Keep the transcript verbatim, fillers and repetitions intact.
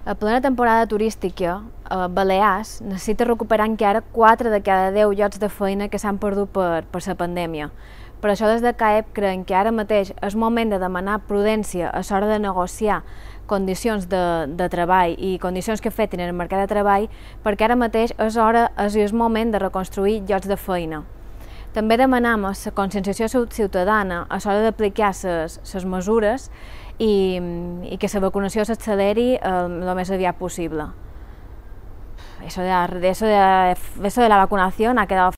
A plena temporada turística, a Balears necessita recuperar encara quatre de cada deu llocs de feina que s'han perdut per, per la pandèmia. Per això des de CAEP creiem que ara mateix és moment de demanar prudència a l'hora de negociar condicions de, de treball i condicions que afectin el mercat de treball, perquè ara mateix és hora, és el moment de reconstruir llocs de feina. També demanem la conscienciació ciutadana a l'hora d'aplicar les mesures i, i que la vacunació s'acceleri el més aviat possible. Eso de, la, de, eso de, eso de la vacunación ha quedado